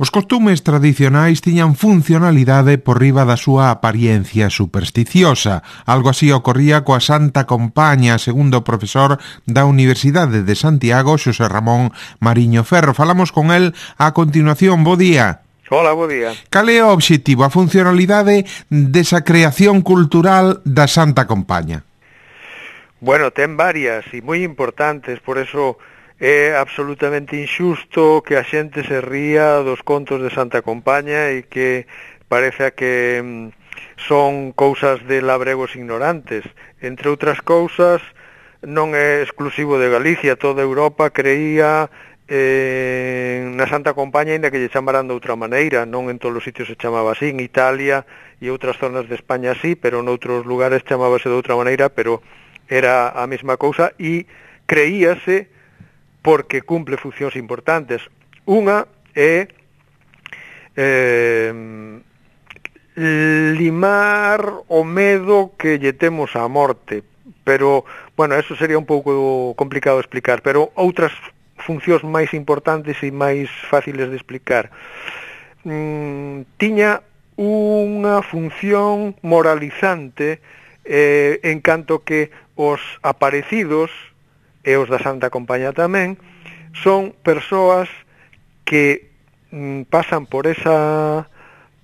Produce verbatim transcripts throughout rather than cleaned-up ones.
Os costumes tradicionais tiñan funcionalidade por riba da súa apariencia supersticiosa. Algo así ocorría coa Santa Compaña, segundo o profesor da Universidade de Santiago, Xosé Ramón Mariño Ferro. Falamos con el a continuación. Bo día. Hola, bo día. Cal é o obxectivo, a funcionalidade desa creación cultural da Santa Compaña? Bueno, ten varias e moi importantes, por eso é absolutamente injusto que a xente se ría dos contos de Santa Compaña e que parece que mm, son cousas de labregos ignorantes. Entre outras cousas, non é exclusivo de Galicia, toda Europa creía eh, na Santa Compaña, ainda que lle chamaran de outra maneira, non en todos os sitios se chamaba así, en Italia e outras zonas de España así, pero noutros lugares chamábase de outra maneira, pero era a mesma cousa e creíase porque cumple funcións importantes. Unha é eh, limar o medo que lle temos á morte, pero, bueno, eso sería un pouco complicado de explicar, pero outras funcións máis importantes e máis fáciles de explicar. Mm, tiña unha función moralizante eh, en canto que os aparecidos e os da Santa Compaña tamén, son persoas que mm, pasan por esa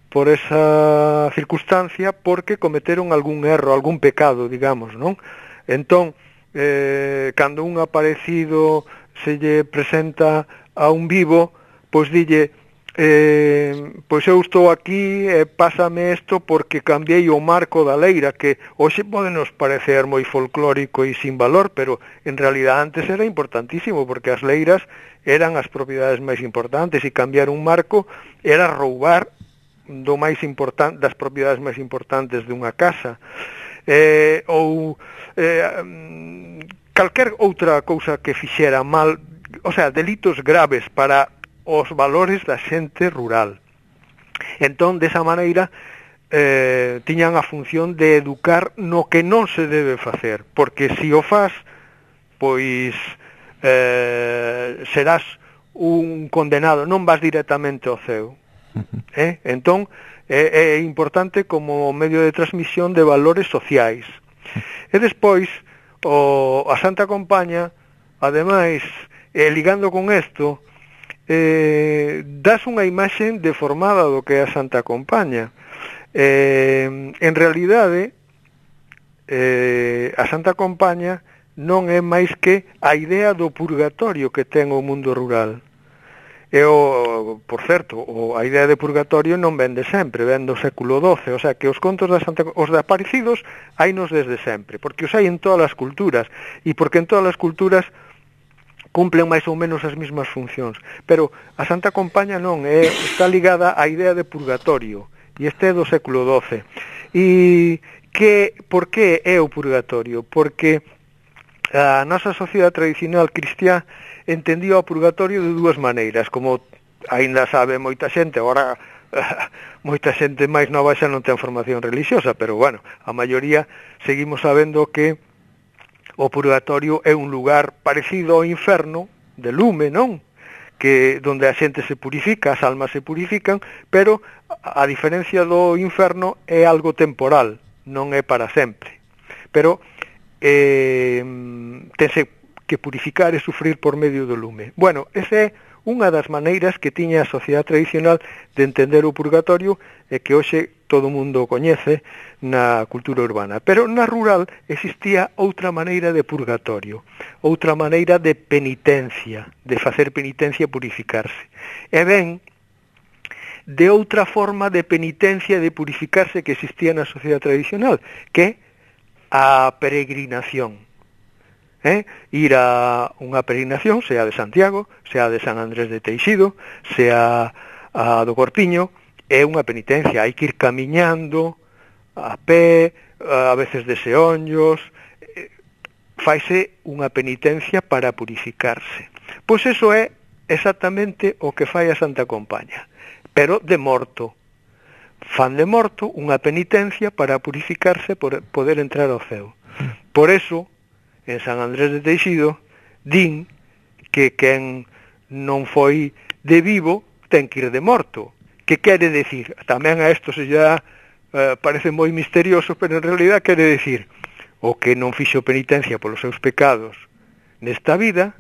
por esa circunstancia porque cometeron algún erro, algún pecado, digamos, non? Entón, eh, cando un aparecido se lle presenta a un vivo, pois dille, eh, pois eu estou aquí e pásame isto porque cambiei o marco da leira, que hoxe pode nos parecer moi folclórico e sin valor, pero en realidad antes era importantísimo, porque as leiras eran as propiedades máis importantes e cambiar un marco era roubar do máis importante, das propiedades máis importantes dunha casa. Eh, ou eh, calquer outra cousa que fixera mal, o sea, delitos graves para os valores da xente rural. Entón, desa maneira, eh, tiñan a función de educar no que non se debe facer, porque se o faz, pois eh, serás un condenado, non vas directamente ao ceo. Eh? Entón, é, é importante como medio de transmisión de valores sociais. E despois, o, a Santa Compaña, ademais, eh, ligando con isto, Eh, das unha imaxe deformada do que é a Santa Compaña. Eh, en realidade, eh, a Santa Compaña non é máis que a idea do purgatorio que ten o mundo rural. E o, por certo, o, a idea de purgatorio non ven de sempre, ven do século doce, o sea que os contos da Santa, os de aparecidos hainos desde sempre, porque os hai en todas as culturas, e porque en todas as culturas cumplen máis ou menos as mesmas funcións, pero a Santa Compaña non, é, está ligada á idea de purgatorio, e este é do século doce. E que, por que é o purgatorio? Porque a nosa sociedade tradicional cristiá entendía o purgatorio de dúas maneiras, como aínda sabe moita xente, agora moita xente máis nova xa non ten formación religiosa, pero bueno, a maioría seguimos sabendo que o purgatorio é un lugar parecido ao inferno, de lume, non? Que donde a xente se purifica, as almas se purifican, pero a diferencia do inferno é algo temporal, non é para sempre. Pero eh, tense que purificar e sufrir por medio do lume. Bueno, esa é unha das maneiras que tiña a sociedade tradicional de entender o purgatorio e que hoxe todo o mundo o coñece na cultura urbana. Pero na rural existía outra maneira de purgatorio, outra maneira de penitencia, de facer penitencia e purificarse. E ben, de outra forma de penitencia e de purificarse que existía na sociedade tradicional, que a peregrinación. Eh? Ir a unha peregrinación, sea de Santiago, sea de San Andrés de Teixido, sea a do Corpiño, é unha penitencia, hai que ir camiñando a pé, a veces de seonllos, faise unha penitencia para purificarse. Pois eso é exactamente o que fai a Santa Compaña, pero de morto. Fan de morto unha penitencia para purificarse, por poder entrar ao ceo. Por eso, en San Andrés de Teixido, din que quen non foi de vivo ten que ir de morto. Que quere decir? Tamén a isto se já eh, parece moi misterioso, pero en realidad quere decir o que non fixo penitencia polos seus pecados nesta vida,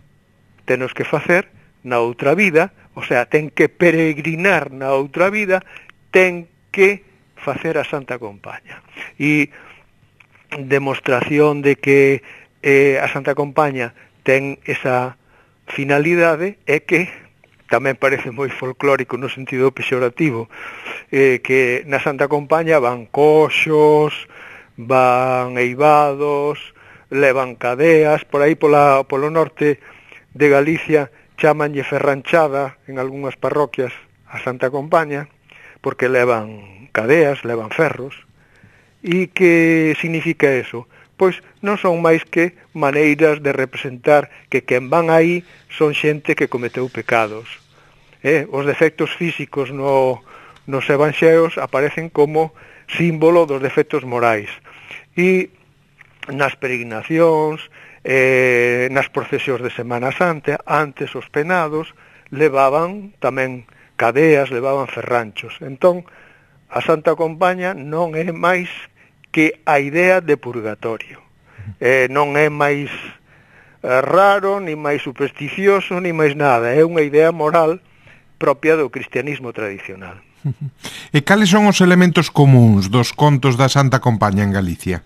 tenos que facer na outra vida, o sea, ten que peregrinar na outra vida, ten que facer a Santa Compaña. E demostración de que eh, a Santa Compaña ten esa finalidade é que tamén parece moi folclórico no sentido pexorativo, eh, que na Santa Compaña van coxos, van eivados, levan cadeas, por aí pola, polo norte de Galicia chamanlle ferranchada en algunhas parroquias a Santa Compaña, porque levan cadeas, levan ferros. E que significa eso? Pois non son máis que maneiras de representar que quen van aí son xente que cometeu pecados. Eh? Os defectos físicos no, nos evanxeos aparecen como símbolo dos defectos morais. E nas peregrinacións, eh, nas procesións de Semana Santa, antes os penados levaban tamén cadeas, levaban ferranchos. Entón, a Santa Compaña non é máis que a idea de purgatorio. Eh, non é máis eh, raro, ni máis supersticioso, ni máis nada. É unha idea moral propia do cristianismo tradicional. E cales son os elementos comuns dos contos da Santa Compaña en Galicia?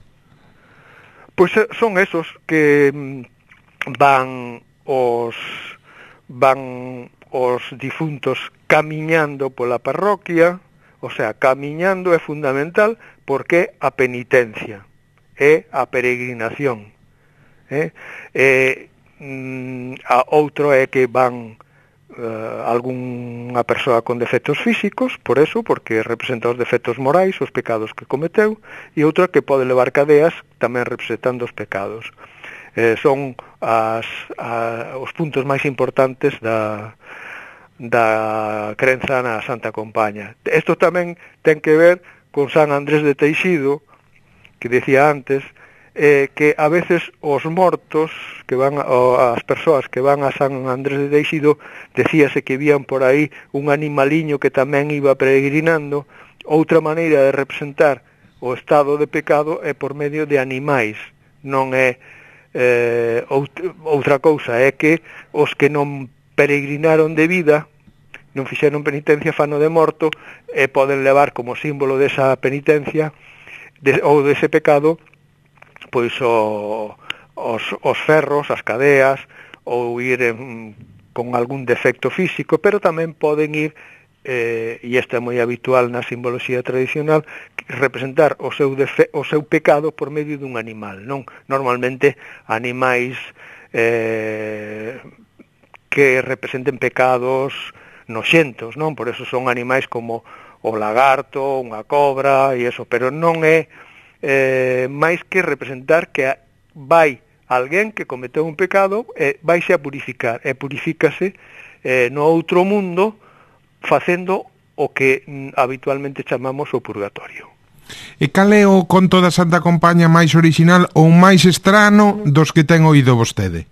Pois son esos que van os van os difuntos camiñando pola parroquia. O sea, camiñando é fundamental porque a penitencia é a peregrinación. Eh? Eh, a outro é que van eh, algunha persoa con defectos físicos, por eso, porque representa os defectos morais, os pecados que cometeu, e outra que pode levar cadeas tamén representando os pecados. Eh, son as, a, os puntos máis importantes da... da crenza na Santa Compaña. Isto tamén ten que ver con San Andrés de Teixido, que decía antes, eh, que a veces os mortos, que van a, as persoas que van a San Andrés de Teixido, decíase que vían por aí un animaliño que tamén iba peregrinando. Outra maneira de representar o estado de pecado é por medio de animais, non é eh, outra cousa, é que os que non peregrinaron de vida, non fixeron penitencia, fano de morto, e poden levar como símbolo desa penitencia de, ou dese pecado pois o, os, os ferros, as cadeas, ou ir en, con algún defecto físico, pero tamén poden ir, eh, e isto é moi habitual na simboloxía tradicional, representar o seu, defe, o seu pecado por medio dun animal, non? Normalmente animais eh, que representen pecados noxentos, non? Por eso son animais como o lagarto, unha cobra e eso, pero non é eh, máis que representar que vai alguén que cometeu un pecado e vaise a purificar, e purifícase eh, no outro mundo facendo o que mm, habitualmente chamamos o purgatorio. E cal é o conto da Santa Compaña máis original ou máis estrano dos que ten oído vostede?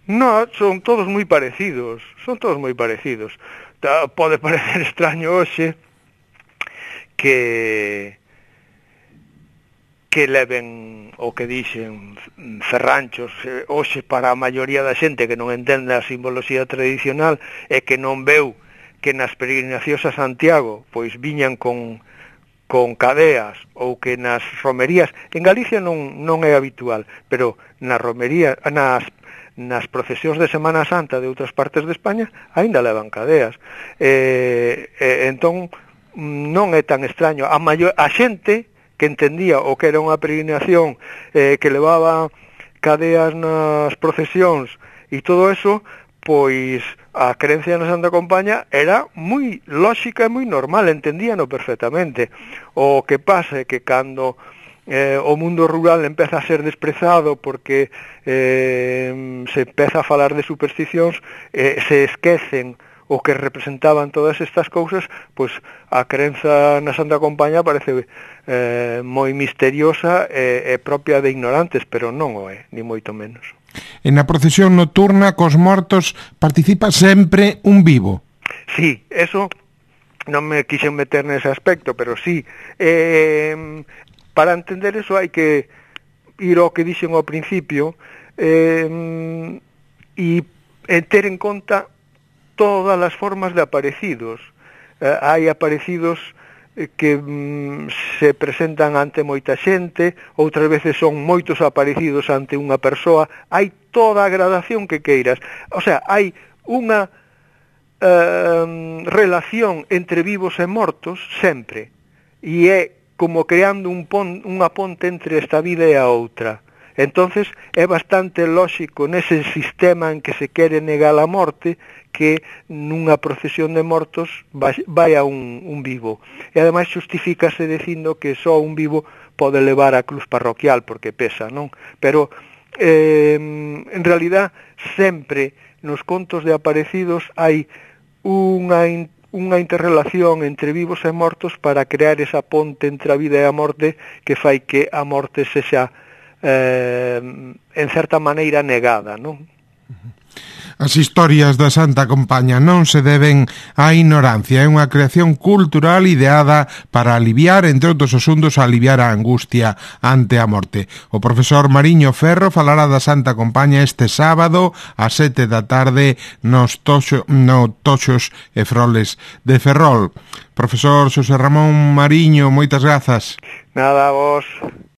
No, son todos moi parecidos, son todos moi parecidos. Pode parecer extraño hoxe que que leven o que dixen ferranchos hoxe para a maioría da xente que non entende a simboloxía tradicional e que non veu que nas peregrinacións a Santiago pois viñan con con cadeas ou que nas romerías, en Galicia non non é habitual, pero nas romerías, nas nas procesións de Semana Santa de outras partes de España aínda levan cadeas. Eh, eh, entón non é tan extraño. A, maior, a xente que entendía o que era unha peregrinación eh, que levaba cadeas nas procesións e todo eso, pois a creencia na Santa Compaña era moi lóxica e moi normal, entendíano perfectamente. O que pasa é que cando Eh, o mundo rural empeza a ser desprezado porque eh, se empeza a falar de supersticións, eh, se esquecen o que representaban todas estas cousas, pois a crenza na Santa Compaña parece eh, moi misteriosa e, e propia de ignorantes, pero non o é, ni moito menos. En a procesión nocturna cos mortos participa sempre un vivo? Sí, eso non me quixen meter nese aspecto, pero sí. Eh, para entender eso hai que ir ao que dixen ao principio eh, e ter en conta todas as formas de aparecidos. Eh, hai aparecidos que mm, se presentan ante moita xente, outras veces son moitos aparecidos ante unha persoa, hai toda a gradación que queiras. O sea, hai unha Uh, relación entre vivos e mortos sempre, e é como creando un pon, unha ponte entre esta vida e a outra. Entonces é bastante lóxico nese sistema en que se quere negar a morte que nunha procesión de mortos vai a un, un vivo, e ademais justifícase dicindo que só un vivo pode levar a cruz parroquial porque pesa, non? Pero eh, en realidad sempre nos contos de aparecidos hai unha, unha interrelación entre vivos e mortos para crear esa ponte entre a vida e a morte que fai que a morte sexa eh, en certa maneira negada, non? As historias da Santa Compaña non se deben á ignorancia, é unha creación cultural ideada para aliviar, entre outros asuntos, aliviar a angustia ante a morte. O profesor Mariño Ferro falará da Santa Compaña este sábado ás sete da tarde nos toxo, no Toxos e Froles de Ferrol. Profesor Xosé Ramón Mariño, moitas grazas. Nada, vos.